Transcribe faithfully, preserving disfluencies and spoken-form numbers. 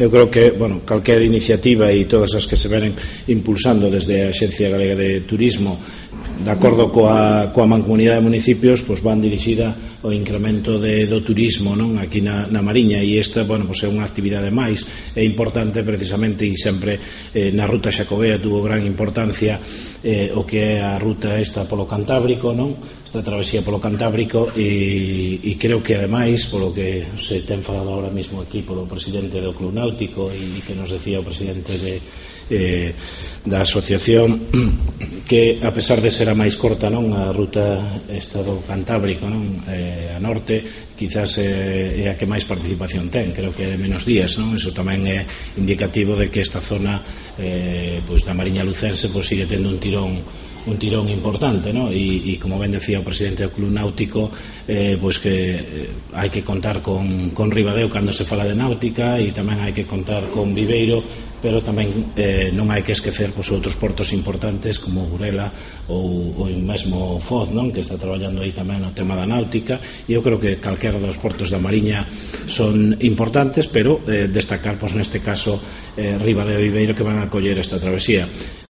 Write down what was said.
eu creo que, bueno, calquera iniciativa e todas as que se venen impulsando desde a Axencia Galega de Turismo de acordo coa, coa mancomunidade de municipios, pois van dirixida ao incremento de, do turismo, non, aquí na, na Mariña, e esta, bueno, pois é unha actividade máis, é importante precisamente, e sempre eh, na ruta xacobea tuvo gran importancia eh, o que é a ruta esta polo Cantábrico, non, esta travesía polo Cantábrico, e, e creo que ademais, polo que se ten falado ahora mismo aquí polo presidente do Club Náutico e que nos decía o presidente de eh, da asociación, que a pesar de ser a máis corta, non, a ruta esta do Cantábrico, non, eh, a norte, quizás eh, é a que máis participación ten, creo que é de menos días, non, iso tamén é indicativo de que esta zona eh, pois da Mariña Lucense pois sigue tendo un tirón un tirón importante, ¿no? E, e como ben decía o presidente do Club Náutico, eh, pois que eh, hai que contar con, con Ribadeo cando se fala de náutica, e tamén hai que contar con Viveiro, pero tamén eh, non hai que esquecer pois, outros portos importantes como Burela ou, ou mesmo Foz, non? Que está traballando aí tamén no tema da náutica, e eu creo que calquera dos portos da Mariña son importantes, pero eh, destacar pois, neste caso eh, Ribadeo e Viveiro, que van a acoller esta travesía.